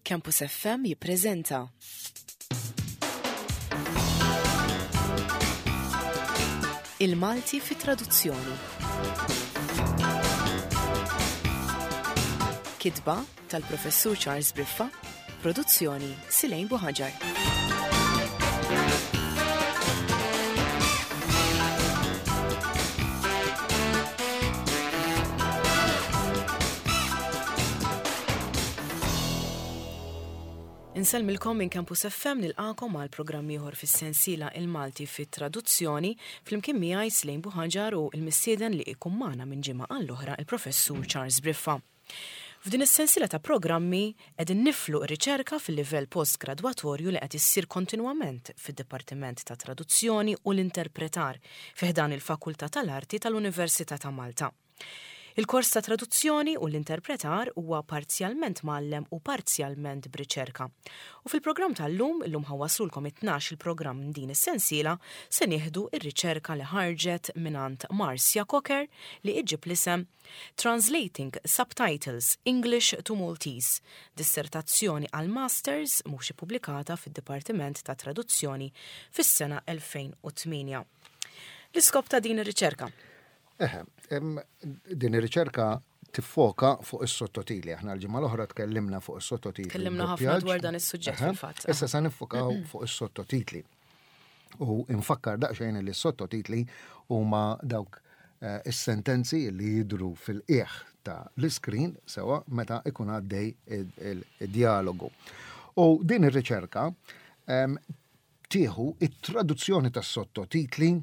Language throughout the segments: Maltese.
Campus FM jippreżenta. Il-Malti fi traduzzjoni. Kitba tal-Professur Charles Briffa, produzzjoni Silejn Buħaġar. Insellmilkom minn Campus FM nilqakom għal programm ieħor fis-sensiela Il-Malti fit-Traduzzjoni flimkien miegħi Slejn Buħaġar u l-mistieden li ikun magħna minn ġimgħa għall-oħra il-Professur Charles Briffa. F'din is-sensiela ta' programmi qegħdin niflu r-riċerka fil-livell postgradwatorju li qed issir kontinwament fid-Dipartiment tat-Traduzzjoni u l-Interpretar fi ħdan il-Fakultà tal-Arti tal-Università ta' Malta. Il-kors ta' Traduzzjoni u l-Interpretar huwa parzjalment mgħallem u parzjalment b'riċerka. U fil-programm tal-lum, illum ħa nwasslulkom it-tnax il-programm minn din is-sensiela, se nieħdu r-riċerka li ħarġet mingħand Marcia Cocker li iġġib l-isem Translating Subtitles English to Maltese, dissertazzjoni għal Masters mhux ippubblikata fid-Dipartiment tat-Traduzzjoni fis-sena 2008. L-iskop ta' din ir-riċerka? Eħe, din ir-riċerka tiffoka fuq is-sottotitli. Aħna l-ġimgħa l-oħra tkellimna fuq is-sottotitli. Tkellimna ħafna dwar dan is-suġġett fil-fatt. Issa se niffokaw fuq is-sottotitli. U infakkar daqsxejn li s-sottotitli huma dawk eh, is-sentenzi li jidru fil-qiegħ ta' l-iskrin sewa meta ikun għaddej id-dialogu. U din ir-riċerka tieħu it-traduzzjoni tas-sottotitli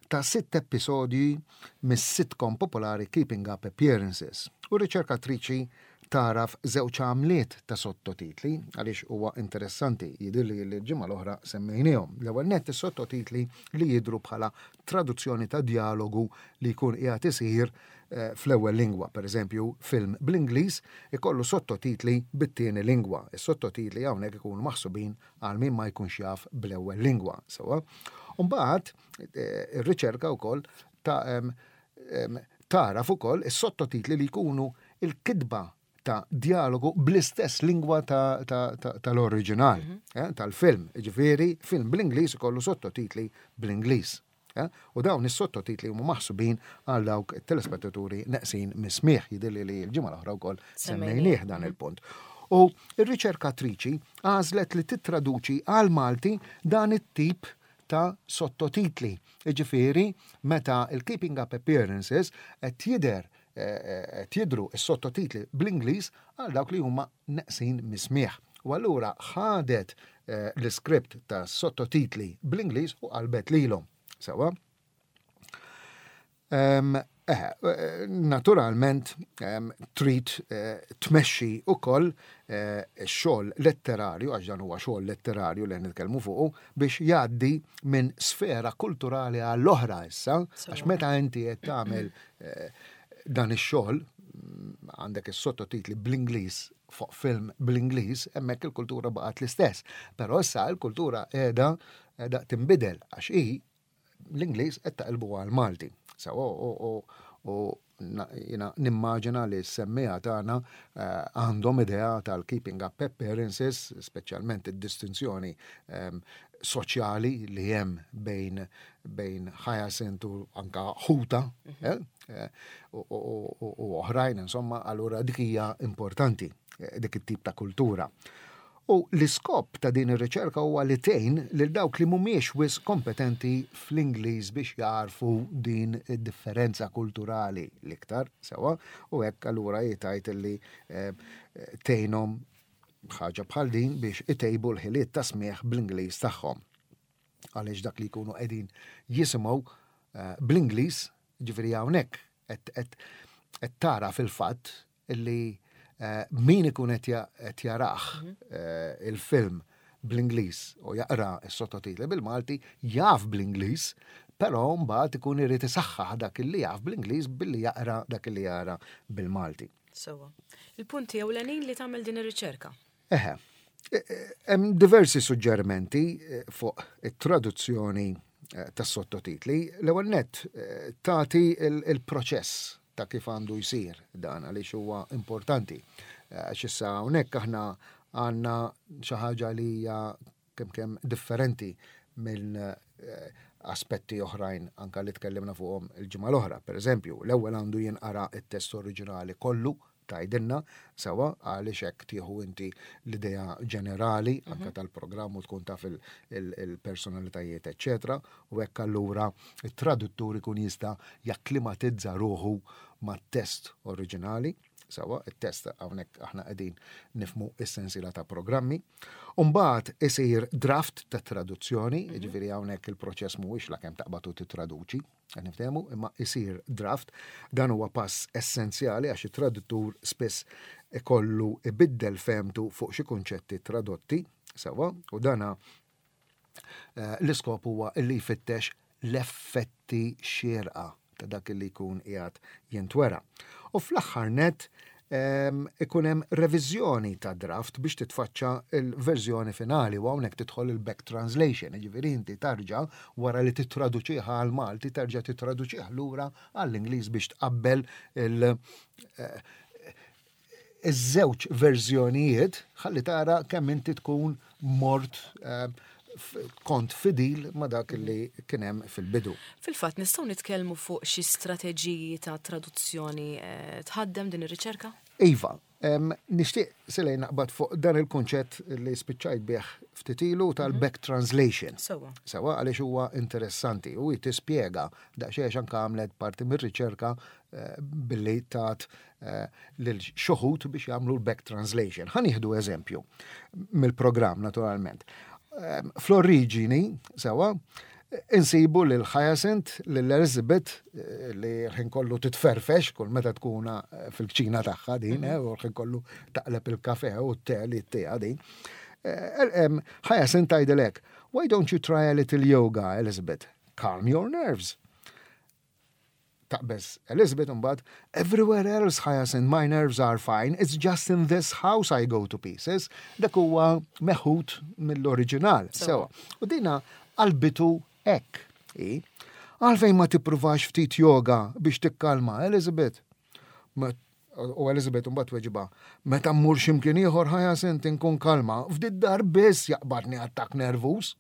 ta' sitt episodji mis-sitcom popolari Keeping Up Appearances. U r-riċerkatriċi tagħraf żewġ għamliet ta' sottotitli għaliex huwa interessanti jidhirli li l-ġimgħa l-oħra semmejniehom. L-ewwel nett is-sottotitli li jidhru bħala traduzzjoni ta' djalogu li jkun qiegħed isir eh, fl-ewwel lingwa. Pereżempju, film bl-Ingliż ikollu sottotitli bit-tieni lingwa. Is-sottotitli hawnhekk ikunu maħsubin għal min ma jkunx jaf bl-ewwel lingwa. Sewwa. Mbagħad eh, ir-riċerka wkoll ta' tagħraf ukoll is-sottotitli li jkunu il-kitba ta' dialogu bl-istess lingwa tal-oriġinal, mhm. eh, tal-film. Ġifieri, film bl-Ingliż ikollu sottotitli bl-Ingliż. Eh, u dawn is-sottotitli huma maħsubin għal dawk telespettaturi neqsin mismieħ jidhirli li l-ġimgħa l-oħra wkoll semmejnieh dan mhm. il-punt. U r-riċerkatriċi għażlet li tittraduċi għal Malti dan it-tip ta' sottotitli. Jiġifieri meta l-Keeping Up Appearances qed jidher qed jidhru s-sottotitli bl-Ingliż għal dawk li huma neqsin mis-smigħ. U allura ħadet l-iskript ta' sottotitli bl-Ingliż u qalbet lilhom. Sewwa? Eh, naturalment trid eh, tmexxi ukoll eh, x-xogħol letterarju, għax dan huwa xogħol letterarju li nitkellmu fuqu, biex jgħaddi minn sfera kulturali għall-oħra issa, għax meta inti qed tagħmel dan ix-xogħol mm, għandek is-sottotitli bl-Ingliż fuq film bl-Ingliż, hemmhekk il-kultura baqgħet l-istess. Però issa l-kultura qiegħda qiegħda tinbidel għax hi l-Ingliż qed taqilbu għal Malti. Sewa u jina nimmaġina li s-semmija tagħna eh, għandhom idea tal-keeping up appearances, speċjalment id-distinzjoni ehm, soċjali li hemm bejn bejn Hyacinth u anka ħuta mhm. eh, eh, u oħrajn, insomma, allura dik hija importanti dik it-tip ta' kultura. U l-iskop ta' din ir-riċerka huwa li tgħin lil dawk li mhumiex wisq kompetenti fl-Ingliż biex jagħrfu din id-differenza kulturali l-iktar sewwa u hekk allura hi tgħid li eh, tgħinhom ħaġa bħal din biex itejbu l-ħiliet ta' smigħ bl-Ingliż tagħhom. Għaliex dak li jkunu qegħdin jisimgħu eh, bl-Ingliż, ġifieri hawnhekk qed tara fil-fatt illi eh, min ikun qed jarah mhm. eh, il-film bl-Ingliż u jaqra s-sottotitli bil-Malti jaf bl-Ingliż, però mbagħad ikun irid isaħħaħ dak li jaf bl-Ingliż billi jaqra dak li jara bil-Malti. Sewwa. Il-punti ewlenin li tagħmel din ir-riċerka. Eħe. E, e, hemm diversi suġġerimenti e, fuq it-traduzzjoni tas-sottotitli. L-ewwel nett tagħti il-proċess ta' kif għandu jsir dan għaliex huwa importanti. Għax issa hawnhekk aħna għandna xi ħaġa li hija kemm kemm differenti minn aspetti oħrajn anka li tkellimna fuqhom il-ġimgħa l-oħra. Per eżempju, l-ewwel għandu jinqara t-test oriġinali kollu tgħidilna sewwa għaliex hekk tieħu inti l-idea ġenerali anke tal-programm u tkun taf il-personalitajiet eċċetera u hekk allura it-traduttur ikun jista' jakklimatizza ruħu mat-test oriġinali. Sewwa, it-test hawnhekk aħna qegħdin nifhmu s-sensiela ta' programmi. U mbagħad isir draft ta' traduzzjoni, jiġifieri hawnhekk il-proċess mhuwiex lakemm taqbad u tittraduċi, qed niftehmu, imma isir draft. Dan huwa pass essenzjali għax it-traduttur spiss ikollu ibiddel fehmtu fuq xi kunċetti tradotti, sewwa, u dana l-iskop huwa li jfittex l-effetti xierqa ta' dak li jkun qiegħed jintwera. U fl-aħħar nett ikun hemm reviżjoni ta' draft biex titfaċċa l-verżjoni finali u hawnhekk tidħol il-back translation, jiġifieri inti tarġa' wara li tittraduċih għal Malti terġa' tittraduċih lura għall-Ingliż biex tqabbel il- iż-żewġ verżjonijiet ħalli tara kemm inti tkun mort kont fidil ma dak li kien hemm fil-bidu. Fil-fatt nistgħu nitkellmu fuq xi strateġiji ta' traduzzjoni tħaddem din ir-riċerka? Iva, nixtieq Selej naqbad fuq dan il-kunċett li spiċċajt bih ftit ilu tal-back translation. Sewwa. Sewwa għaliex huwa interessanti u hi tispjega daqsxejn għax anke għamlet parti mir-riċerka billi tat lil xi wħud biex jagħmlu l-back translation. Ħa nieħdu eżempju mill-programm naturalment. Fl-oriġini, sewwa, insibu lil Hyacinth, lil Elizabeth, li l-ħin kollu titferfex kull meta tkun fil-kċina tagħha din, u l-ħin kollu taqleb il-kafe u t-te li t-tea din. Hyacinth tgħidilek, why don't you try a little yoga, Elizabeth? Calm your nerves. Taqbeż Elizabeth imbagħad, everywhere else Hyacinth, my nerves are fine, it's just in this house I go to pieces. Dak huwa meħud mill-oriġinal. Sewa. U dina qalbitu hekk. Għalfejn ma tippruvax ftit yoga biex tikkalma, Elizabeth? U Elizabeth imbagħad tweġibha, meta mmur x'imkien ieħor Hyacinth inkun kalma, f'did-dar biss jaqbadni attakk nervuż.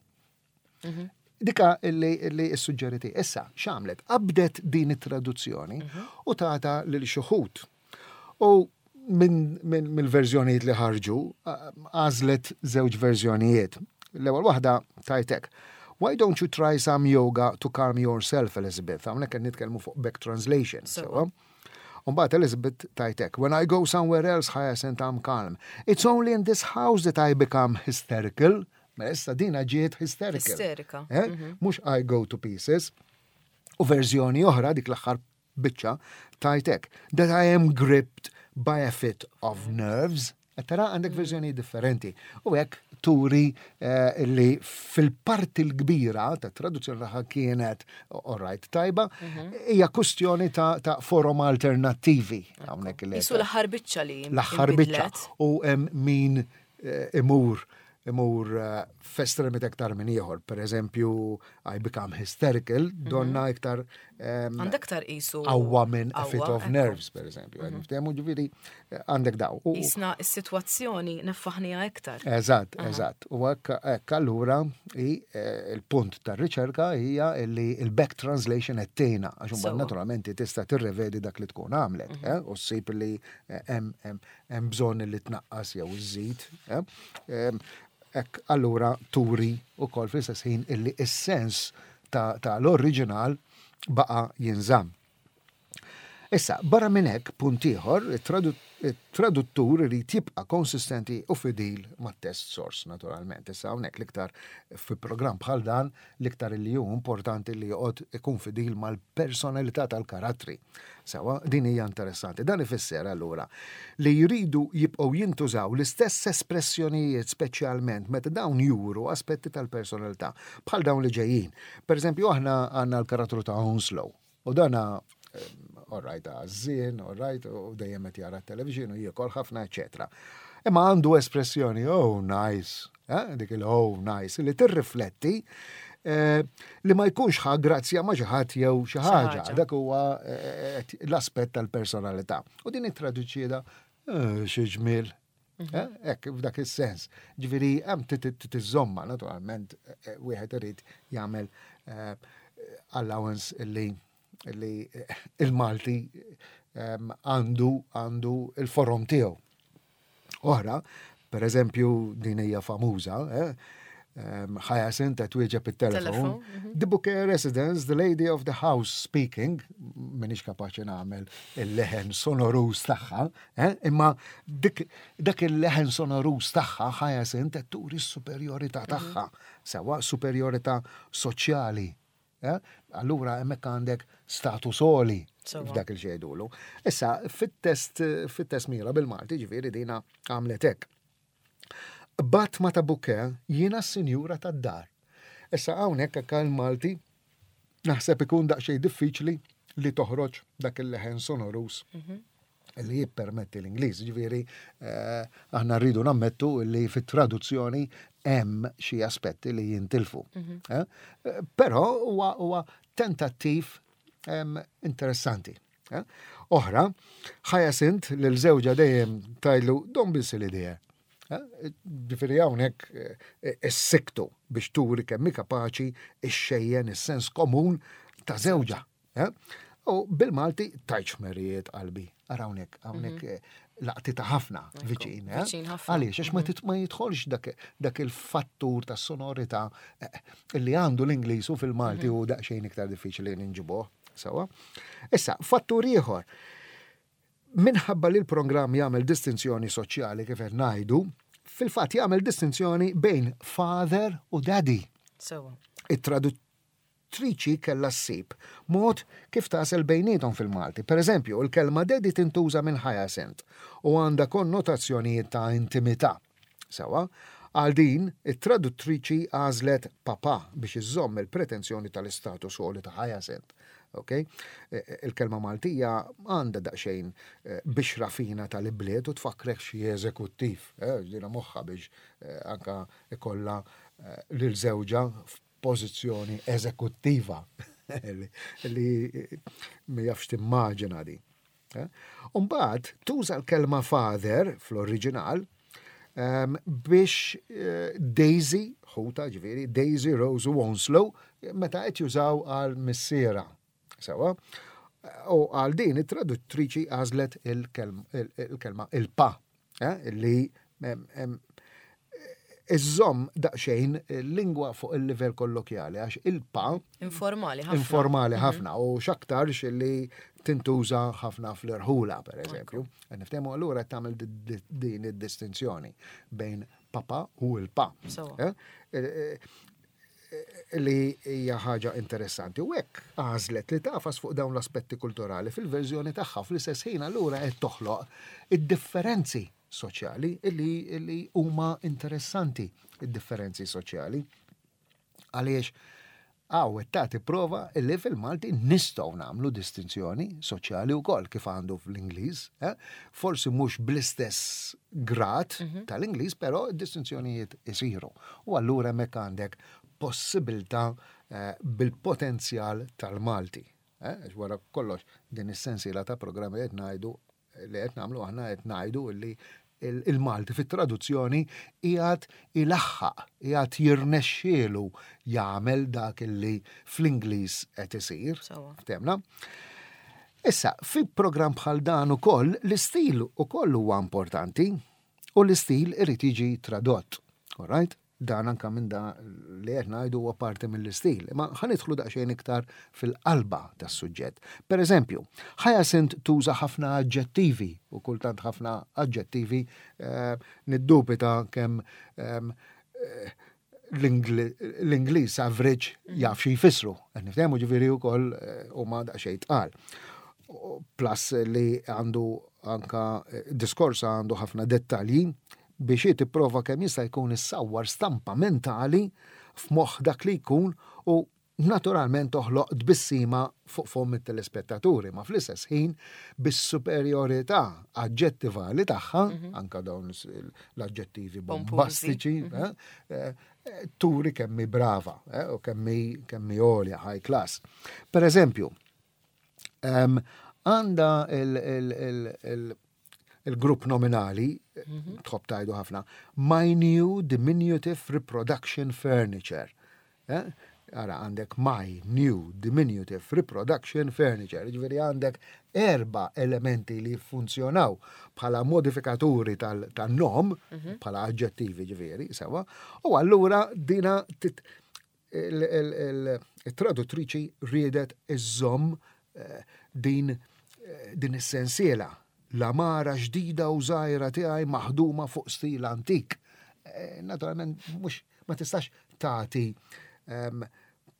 Dika illi issuġġeriti. Issa, x'għamlet? Qabdet din it-traduzzjoni u tata lil xi wħud. U mill-verżjonijiet li ħarġu, għażlet żewġ verżjonijiet. L-ewwel waħda tajtek. Why don't you try some yoga to calm yourself, Elizabeth? Hawnhekk qed nitkellmu fuq back translation. Sewwa. U mbagħad Elizabeth tajtek, when I go somewhere else, Hyacinth, I'm calm. It's only in this house that I become hysterical. Mela issa dina ġiet hysterical. Isterika. Mhux I go to pieces. U verżjoni oħra dik l-aħħar biċċa tajtek that I am gripped by a fit of nerves. Qed tara għandek verżjoni differenti. U hekk turi li fil-parti l-kbira ta' traduzzjoni tagħha kienet alright tajba, hija kwestjoni ta' forom alternattivi hawnhekk li Qisu l-aħħar biċċa li L-aħħar biċċa. U hemm min imur f'estremit aktar minn ieħor. Per eżempju, I become hysterical, donna iktar Għandek aktar qisu qawwa minn a fit of nerves, per eżempju. Niftehmu ġifieri għandek daw. Isna s-sitwazzjoni neffaħnija iktar. Eżatt, eżatt. U hekk allura il-punt tar-riċerka hija li il-back translation qed tgħinha, għax imbagħad naturalment tista' tirrevedi dak li tkun għamlet, u ssib li hemm bżonn li tnaqqas jew iżżid. Hekk allura turi wkoll fl-istess ħin illi is-sens ta' l-oriġinal baqa' jinżamm. Issa, barra minn hekk, punt ieħor, it-traduttur irid jibqa' konsistenti u fidil mat-test source, naturalment. Issa hawnhekk l-iktar fi programm bħal dan, l-iktar li hu importanti li joqgħod ikun fidil mal-personalità tal-karattri. Sewa, din hija interessanti. Dan ifisser allura li jridu jibqgħu jintużaw l-istess espressjonijiet speċjalment meta dawn juru aspetti tal-personalità bħal dawn li ġejjin. Per eżempju, aħna għandna l-karattru ta' Onslow. U dana, all right, għażżien, all right, u dejjem qed jara t-television u jiekol ħafna, eċetera. Imma għandu espressjoni, oh, nice, dik il-oh, nice, li tirrifletti li ma jkunx ħa grazzja ma xi ħadd jew xi ħaġa. Dak huwa l-aspett tal-personalità. U din it-traduċieda, xi ġmiel. Mhm. Eh, hekk, f'dak is-sens. Ġifieri hemm tiżomma naturalment eh, wieħed irid jagħmel eh, allowance li il-Malti ehm, għandu għandu il-forom tiegħu. Oħra, per eżempju, din hija famuża, eh, Hyacinth qed twieġeb it-telefon. Mhm. The Bouquet Residence, the lady of the house speaking, minix kapaċi nagħmel il-leħen sonorus tagħha, eh, imma dak il-leħen sonorus tagħha Hyacinth qed turi s-superjorità mhm. tagħha, sewa superjorità soċjali. Eh? Allura hemmhekk għandek status għoli f'dak il-xejdulu. Issa, fit-test fit-test mira bil-Malti ġifieri dina għamlet hekk. Bat ma ta' buke jiena s-sinjura tad-dar. Issa hawnhekk hekk il-Malti naħseb ikun daqsxejn diffiċli li toħroġ dak il-leħen sonorus mhm. li jippermetti l-Ingliż. Ġifieri eh, aħna rridu nammettu li fit-traduzzjoni hemm xi aspetti li jintilfu. Mhm. Eh, eh, però huwa tentattiv interessanti. Oħra, Hyacinth lil żewġha dejjem tajlu don't be silly dear. Ġifieri hawnhekk issiktu biex turi kemm hi kapaċi ixxejjen is-sens komun ta' żewġha. U bil-Malti tajċ merijiet qalbi. Ara hawnhekk, hawnhekk mhm. eh, laqti ta' ħafna viċin. Eh? Għaliex, għax ma mhm. jidħolx dak il-fattur ta' sonorità eh, li għandu l-Ingliż u fil-Malti mhm. u daqsxejn iktar diffiċli ninġibuh. Sawa. Issa, fattur ieħor. Minħabba li l-programm jagħmel distinzjoni soċjali kif qed ngħidu, fil-fatt jagħmel distinzjoni bejn father u daddy. Sewa. It-traduttriċi kellha ssib mod kif tagħżel bejniethom fil-Malti. Per eżempju, il-kelma daddy tintuża minn Hyacinth u għandha konnotazzjonijiet ta' intimità. Sewwa, għal din, it-traduttriċi għażlet papà biex iżżomm il-pretensjoni tal-istatus għoli ta' Hyacinth. Ok? E, e, il-kelma Maltija għandha daqsxejn e, bixra fina tal-ibliet u tfakkrek xi eżekuttiv. Ġdina moħħa biex anka ikollha lil żewġha f'pożizzjoni eżekuttiva li ma jafx timmaġina di. Eh? Umbagħad tuża l-kelma father fl-oriġinal ehm, biex eh, Daisy, ħuta ġifieri, Daisy Rose u Onslow, meta qed jużaw għal missiera. Sewa, u għal din it-traduttriċi għażlet il-kelma il-pa, eh, li iżżomm daqsxejn lingwa fuq il-livell kollokjali għax il-pa informali ħafna informali mhm. ħafna u x'aktarx li tintuża ħafna fl-irħula per eżempju. Niftehmu allura tagħmel din id-distinzjoni bejn papa u l-pa. Eh, eh, eh, li hija ħaġa interessanti. U hekk għażlet li tafas fuq dawn l-aspetti kulturali fil-verżjoni tagħha fl-istess ħin allura qed toħloq id-differenzi soċjali illi, illi huma interessanti id-differenzi soċjali. Għaliex għaw tagħti prova illi fil-Malti nistgħu nagħmlu distinzjoni soċjali wkoll kif għandu fl-Ingliż. Eh? Forsi mhux bl-istess grad mm -hmm. tal-Ingliż, però d-distinzjonijiet isiru. U allura hemmhekk għandek possibilità eh, bil-potenzjal tal-Malti. Eh? Wara kollox din is-sensiela ta' programmi qed ngħidu li qed nagħmlu aħna qed ngħidu li il-Malti fit-traduzzjoni qiegħed ilaħħaq, qiegħed jirnexxielu jagħmel dak li fl-Ingliż qed isir. Temna. Issa, fi programm bħal dan ukoll l-istil ukoll huwa importanti u l-istil irid jiġi tradott. All right? Dan anka minn da li qed ngħidu huwa parti mill-istil, imma ħa nidħlu daqsxejn iktar fil-qalba tas-suġġett. Per eżempju, Hyacinth tuża ħafna aġġettivi u kultant ħafna aġġettivi eh, niddubita kemm ehm, eh, l-Ingliż average mm. jaf xi jfissru. Qed niftehmu ġifieri wkoll eh, huma daqsxejn tqal. Plus li għandu anka diskors għandu ħafna dettalji biex hi tipprova kemm jista' jkun issawwar stampa mentali f'moħħ dak li jkun u naturalment toħloq tbissima fuq fomm it-telespettaturi, ma fl-istess ħin bis-superjorità aġġettivali tagħha, mhm. anka dawn l-aġġettivi bombastiċi, mhm. eh, eh, turi kemm hi brava eh, u kemm hi għolja high class. Per eżempju, għanda Il-grupp nominali, tħobb tgħidu ħafna, my new diminutive reproduction furniture. Eh? Ara għandek my new diminutive reproduction furniture, ġifieri għandek erba elementi li funzjonaw bħala modifikaturi tal-nom, bħala aġġettivi ġifieri, sewa, u allura dina il-traduttriċi riedet iżżomm eh, din eh, din is-sensiela l-għamara ġdida u żgħira tiegħi maħduma fuq stil antik. Eh, naturalment mhux ma tistax tagħti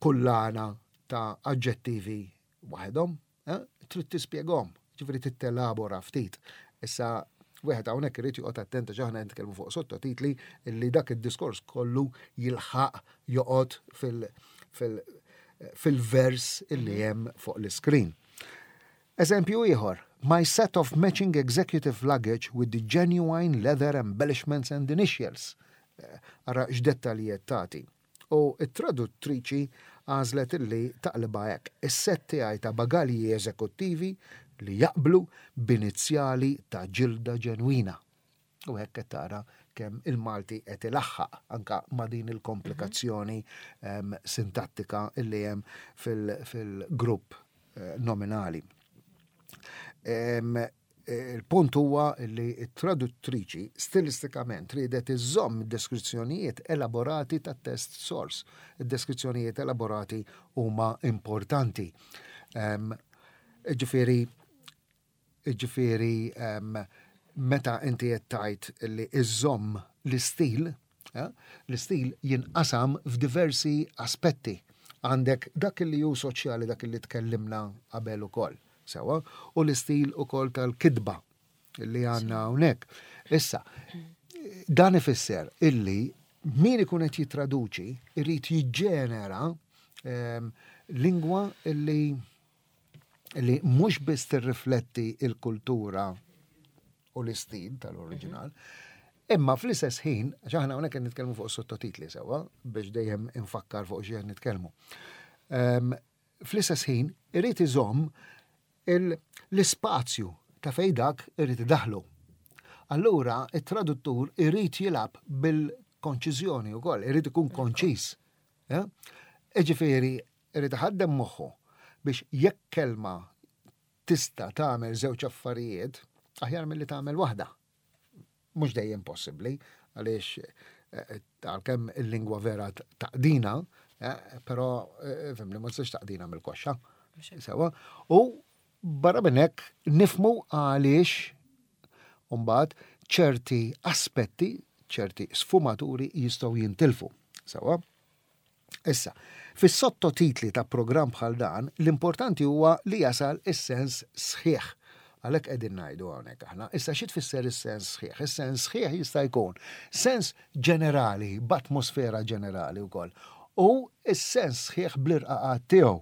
kullana ta' aġġettivi waħedhom, eh? trid tispjegahom, ġifieri tittelabora ftit. Issa wieħed hawnhekk irid joqgħod attent għax aħna nitkellmu fuq sottotitli illi dak id-diskors kollu jilħaq joqgħod fil-vers illi hemm fuq l-iskrin. Eżempju ieħor, my set of matching executive luggage with the genuine leather embellishments and initials. Eh, ara x'dettalji tagħti. U t-traduttriċi għażlet illi taqlibha hekk, is-sett tiegħi ta' bagalji eżekuttivi li jaqblu b'inizjali ta' ġilda ġenwina. U hekk qed tara kemm il-Malti qed ilaħħaq anka ma' din il-komplikazzjoni sintattika illi hemm fil-grupp eh, nominali. Il-punt huwa li t-traduttriċi stilistikament riedet iżżomm deskrizzjonijiet elaborati tat-test source. Id-deskrizzjonijiet elaborati huma importanti. Ġifieri ġifieri meta inti qed tgħid li iżżomm l-istil, eh, l-istil jinqasam f'diversi aspetti. Għandek dak li hu soċjali dak li tkellimna qabel ukoll. Sewa, u l-istil ukoll tal-kitba li għandna hawnhekk. Issa, dan ifisser illi min ikun qed jittraduċi irid jiġġenera lingwa illi li mhux biss tirrifletti il-kultura u l-istil tal-oriġinal, imma fl-istess ħin, għax aħna hawnhekk qed nitkellmu fuq sottotitli sewwa biex dejjem infakkar fuq xi qed nitkellmu. Fl-istess ħin irid iżomm l-ispazju ta' fejn dak irid idaħlu. Allura it-traduttur irid jilgħab bil-konċiżjoni wkoll, irid ikun konċiż. Iġifieri irid iħaddem moħħu biex jekk kelma tista' tagħmel żewġ affarijiet aħjar milli tagħmel waħda. Mhux dejjem possibbli għaliex eh, għalkemm il-lingwa vera taqdina, eh, però eh, fimni ma tistax taqdina mill-koxxa. Sewa. U barra minn hekk nifmu għaliex mbagħad ċerti aspetti, ċerti sfumaturi jistgħu jintilfu. Sewa. Issa, fis-sottotitli ta' programm bħal dan, l-importanti huwa li jasal is-sens sħiħ. Għalhekk qegħdin ngħidu hawnhekk aħna. Issa xi tfisser is-sens sħiħ? Is-sens sħiħ jista' jkun sens ġenerali, b'atmosfera ġenerali wkoll. U s-sens sħiħ bl-irqaqat tiegħu.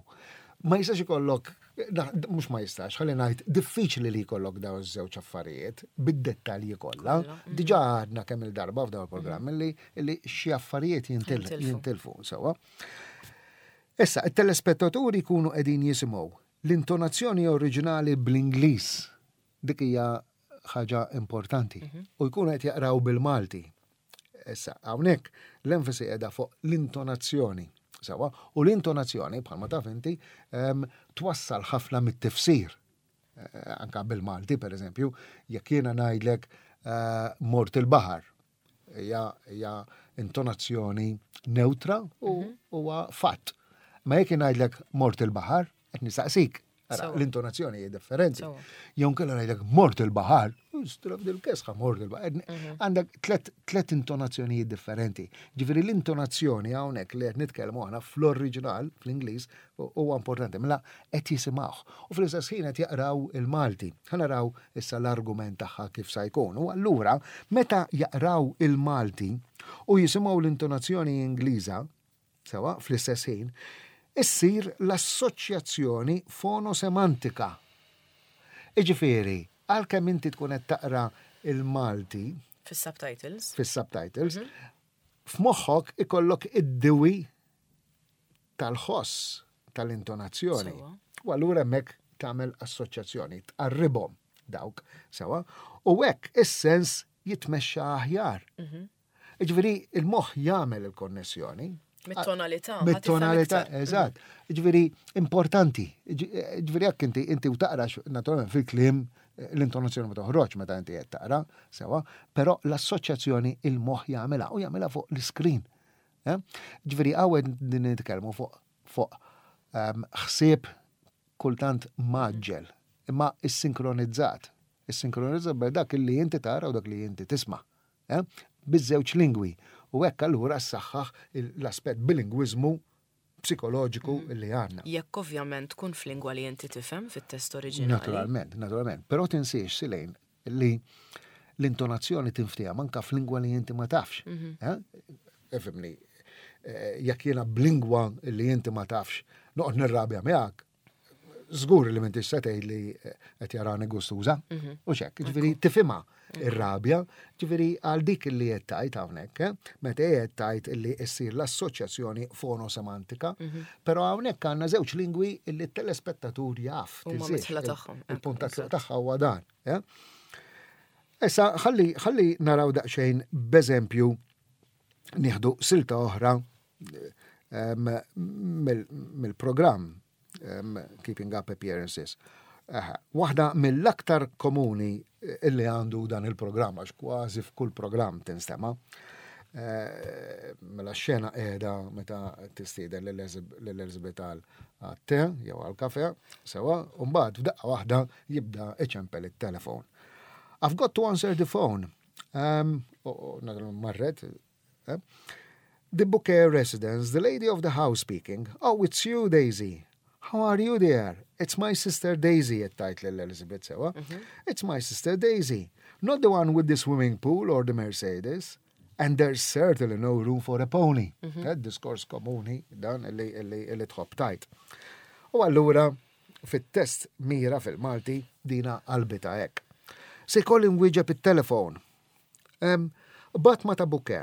Ma jistax ikollok mhux ma jistax, ħalli ngħid diffiċli li jkollok dawn iż-żewġ affarijiet bid-dettalji kollha. Diġà għadna kemm il-darba f'dawn il-programm li li xi affarijiet jintilfu sewwa. Issa, it-telespettaturi jkunu qegħdin jisimgħu l-intonazzjoni oriġinali bl-Ingliż. Dik hija ħaġa importanti. U jkunu qed jaqraw bil-Malti. Issa, hawnhekk l-enfasi qiegħda fuq l-intonazzjoni. Sewa, u l-intonazzjoni, bħalma taf inti, twassal ħafna mit-tifsir. Eh, anka bil-Malti, per eżempju, jekk jiena ngħidlek eh, mort il-baħar, hija intonazzjoni neutra u mhm. huwa fatt. Ma jekk ngħidlek mort il-baħar, qed nistaqsik. L-intonazzjoni hija differenti. Jew nkella ngħidlek mort il-baħar, straf dil-kesħa mort il-baħar. Mhm. Għandek tlet intonazzjonijiet differenti. Ġifieri l-intonazzjoni hawnhekk li qed nitkellmu aħna fl-oriġinal, fl-Ingliż, huwa importanti. Mela qed jisimgħuh. U fl-istess ħin qed jaqraw il-Malti. Ħa naraw issa l-argument tagħha kif sa jkun. U allura meta jaqraw il-Malti u jisimgħu l-intonazzjoni Ingliża, Sewa, fl-istess ħin, issir l-assoċjazzjoni fonosemantika. Iġifieri, għalkemm inti tkun qed taqra il-Malti. Fis-subtitles. Fis-subtitles. Mhm. F'moħħok ikollok id-diwi tal-ħoss tal-intonazzjoni. U allura hemmhekk tagħmel assoċjazzjoni, tqarribhom. dawk sewa, u hekk is-sens jitmexxa aħjar. Ġifieri il-moħħ jagħmel il-konnessjoni. Mit-tonalità. Mit-tonalità, eżatt. Ġifieri importanti. Ġifieri jekk inti inti u taqra naturalment fil-kliem l-intonazzjoni ma toħroġ meta inti qed taqra, sewa, però l-assoċjazzjoni il-moħħ jagħmilha u jagħmilha fuq l-iskrin. Eh? Ġifieri hawn din nitkellmu fuq fuq ħsieb kultant mgħaġġel, imma issinkronizat. Issinkronizat bejn dak li inti tara u dak li inti tisma'. Eh? Biż-żewġ lingwi. U hekk allura ssaħħaħ l-aspett bilingwiżmu psikoloġiku mhm. li għandna. Jekk ovvjament tkun f'lingwa li inti tifhem fit-test oriġinali. Naturalment, naturalment. Però tinsiex Silejn li l-intonazzjoni tinftiehem anka f'lingwa li inti ma tafx. Mhm. Eh? Ifhimni, eh, jekk jiena b'lingwa li inti ma tafx, noqgħod nirrabja miegħek, żgur li m'intix se tgħid li eh, qed jarani gustuża. Mhm. U xek, ġifieri tifhimha ir-rabja, ġifieri għal dik li qed tgħid hawnhekk, eh, meta qed tgħid li ssir l-assoċjazzjoni fonosemantika, mhm. però hawnhekk għandna żewġ lingwi li t-telespettatur jaf. Il-punt tagħha huwa dan. Eh? Issa ħalli ħalli naraw daqsxejn b'eżempju nieħdu silta oħra mill-programm Keeping Up Appearances. Waħda mill-aktar komuni illi għandu dan il-programm, għax kważi f'kull programm tinstema'. Eh, mela xena qiegħda meta tistieden lil Elizabeth għal te jew għal kafe, sewa, u mbagħad f'daqqa waħda jibda iċempel it-telefon. I've got to answer the phone. Um, marret. Eh? The Bouquet residence, the lady of the house speaking. Oh, it's you, Daisy. How are you there? It's my sister Daisy, tgħid lil Elizabeth sewa. Mhm. It's my sister Daisy. Not the one with the swimming pool or the Mercedes. And there's certainly no room for a pony. Mm -hmm. Diskors komuni dan li, li, li tħobb tgħid. U allura fit-test mira fil-Malti dina qalbita hekk. Se jkolli nwieġeb it-telefon. Um, Batma ta' buke,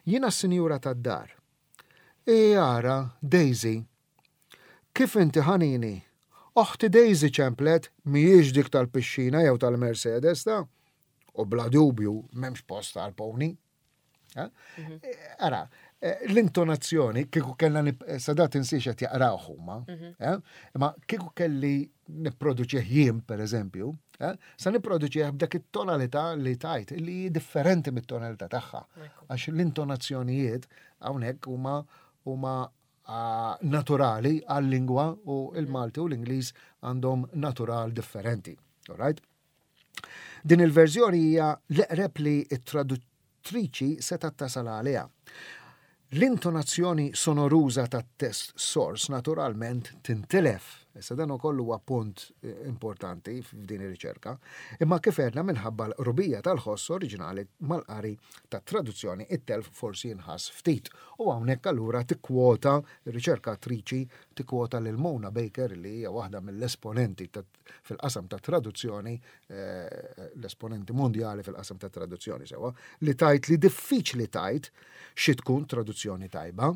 jiena s-sinjura tad-dar. E ara, Daisy, Kif inti ħanini? Oħti Daisy ċemplet, mhijiex dik tal-pixxina jew tal-Mercedes ta' u bla dubju m'hemmx post għal pony. Eh? Mhm. Eh, ara, eh, l-intonazzjoni kieku kellna sadat insiex qed jaqraw huma, mhm. imma kieku kelli nipproduċih jien pereżempju, sa nipproduċih b'dak it-tonalità li tajt li differenti mit-tonalità tagħha. Għax l-intonazzjonijiet hawnhekk huma huma naturali għal-lingwa u il-Malti u l-Ingliż għandhom natural differenti. Alright? Din il-verżjoni hija l-eqreb li t-traduttriċi setgħet tasal għaliha. L-intonazzjoni sonoruża tat-test source naturalment tintilef. Issa dan ukoll huwa punt eh, importanti f'din ir-riċerka. Imma kif għedna minħabba l-qrubija tal-ħoss oriġinali mal-qari tat-traduzzjoni it-telf forsi jinħass ftit. U hawnhekk allura tikkwota r-riċerkatriċi tikkwota lil Mona Baker li hija waħda mill-esponenti fil-qasam ta' traduzzjoni, eh, l-esponenti mondjali fil-qasam ta' traduzzjoni sewa, li tajt li diffiċli tajt xi tkun traduzzjoni tajba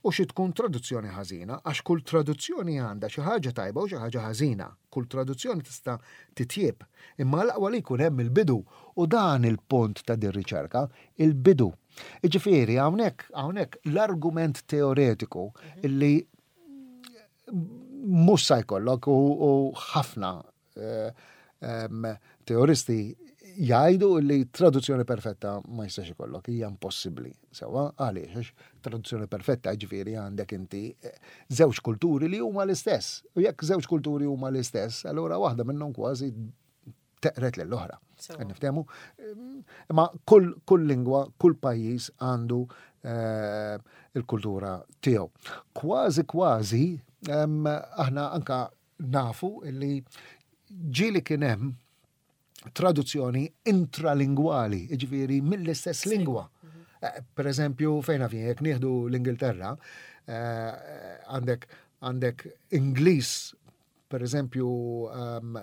u xi tkun traduzzjoni ħażina, għax kull traduzzjoni għandha xi ħaġa tajba u xi ħaġa ħażina. Kull traduzzjoni tista' titjieb, imma l-aqwa li jkun hemm il-bidu u dan il-punt ta' din riċerka, il-bidu. Iġifieri hawnhekk hawnhekk l-argument teoretiku mhm. illi mhux sa jkollok u ħafna eh, teoristi jgħidu li traduzzjoni perfetta ma jistax ikollok, hija impossibbli. Sewa, għaliex, għax traduzzjoni perfetta ġifieri għandek inti eh, żewġ kulturi li huma l-istess. U jekk żewġ kulturi huma l-istess, allura waħda minnhom kważi teqret lill-oħra. Niftehmu? Imma kull, kull lingwa, kull pajjiż għandu eh, il-kultura tiegħu. Kważi kważi aħna anka nafu li ġieli kien hemm traduzzjoni intralingwali, jiġifieri mill-istess lingwa. Mhm. Eh, per eżempju, fejn għafin, jek nieħdu l-Ingilterra, eh, għandek għandek Ingliż, per eżempju, ehm,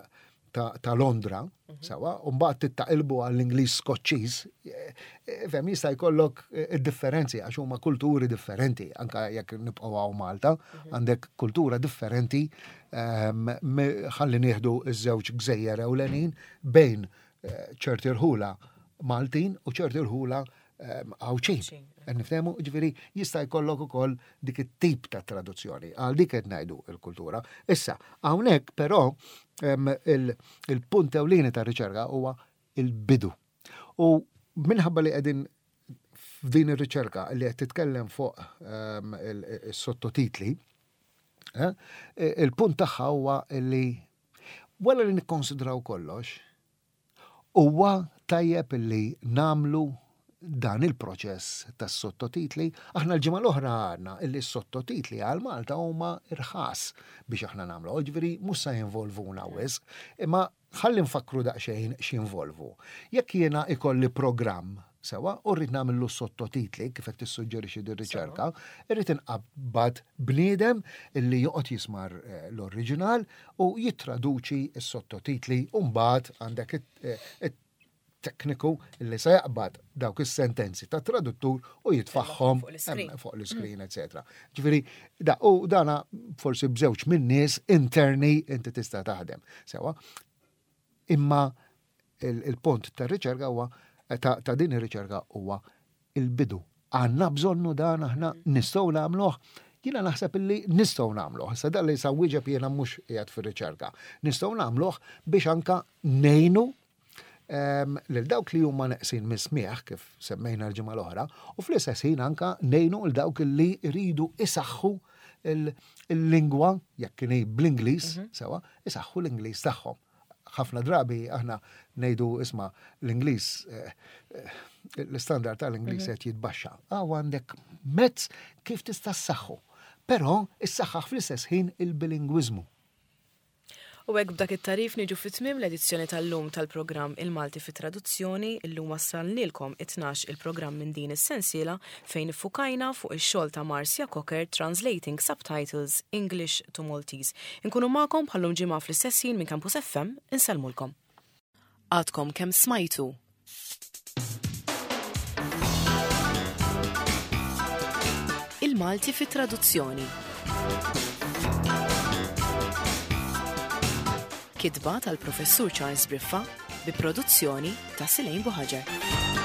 ta' Londra, mhm. sewa, u mbagħad tittaqilbu għall-Ingliż Skoċċiż, eh, eh, fem jista' jkollok eh, differenzi għax huma kulturi differenti, anka jekk nibqgħu hawn Malta, mhm. għandek kultura differenti ehm, ħalli nieħdu ż-żewġ gżejjer ewlenin bejn ċerti rħula Maltin u ċerti rħula ehm, Għawdxin. Niftehmu, ġifieri jista' jkollok ukoll dik it-tip ta' traduzzjoni. Għal dik qed ngħidu il-kultura. Issa, hawnhekk però ehm, il-punt ewlieni ta' riċerka huwa il-bidu. U minħabba li qegħdin f'din ir-riċerka li qed titkellem fuq ehm, is-sottotitli, eh, il-punt tagħha huwa li wara li nikkonsidraw kollox, Huwa tajjeb li nagħmlu dan il-proċess tas-sottotitli. Aħna l-ġimgħa l-oħra għadna illi s-sottotitli għal Malta huma irħas biex aħna nagħmlu, ġifieri mhux se jinvolvuna wisq, imma ħalli nfakkru daqsxejn x'jinvolvu. Jekk jiena ikolli programm Sewwa, u rrid nagħmillu sottotitli kif qed tissuġġerixxi din riċerka, irrid inqabbad bniedem illi joqgħod jismar eh, l-oriġinal u jittraduċi s-sottotitli u mbagħad għandek eh, tekniku li se jaqbad dawk is-sentenzi ta' traduttur u jitfaħħom fuq l-iskrin, etc. Ġifieri, da, u dana forsi b'żewġ minn nies interni inti tista' taħdem. Sewa, imma Il-punt tar-riċerka huwa ta' din ir-riċerka huwa il-bidu. Għandna bżonnu dan aħna nistgħu nagħmluh. Jiena naħseb illi nistgħu nagħmluh. Issa dan li sa wieġeb jiena mhux qiegħed fir-riċerka. Nistgħu nagħmluh biex anka ngħinu ehm, lil dawk li huma neqsin mis-smieħ kif semmejna l-ġimgħa l-oħra, u fl-istess ħin anka ngħinu l dawk li jridu isaħħu il-lingwa, jekk kien bl-Ingliż, mhm. sewa, isaħħu l-Ingliż tagħhom. Ħafna drabi aħna ngħidu isma' l-Ingliż eh, eh, l-istandard tal-Ingliż mhm. qed jitbaxxa. Għaw għandek mezz kif tista' ssaħħu. Però issaħħaħ fl-istess ħin il-bilingwiżmu. U hekk b'dak it-tarif niġu fi tmiem l-edizzjoni tal-lum tal-programm Il-Malti fi Traduzzjoni. Illum wassalnilkom it-tnax il-programm minn din is-sensiela fejn iffukajna fuq ix-xogħol ta' Marcia Cocker Translating Subtitles English to Maltese. Inkunu magħkom bħal-lum ġimgħa fl-istess ħin minn Campus FM, insellmulkom. Għadkom kemm smajtu Il-Malti fi traduzzjoni. Kitba tal-Professur Charles Briffa bi produzzjoni ta' Silejn Buħaġar.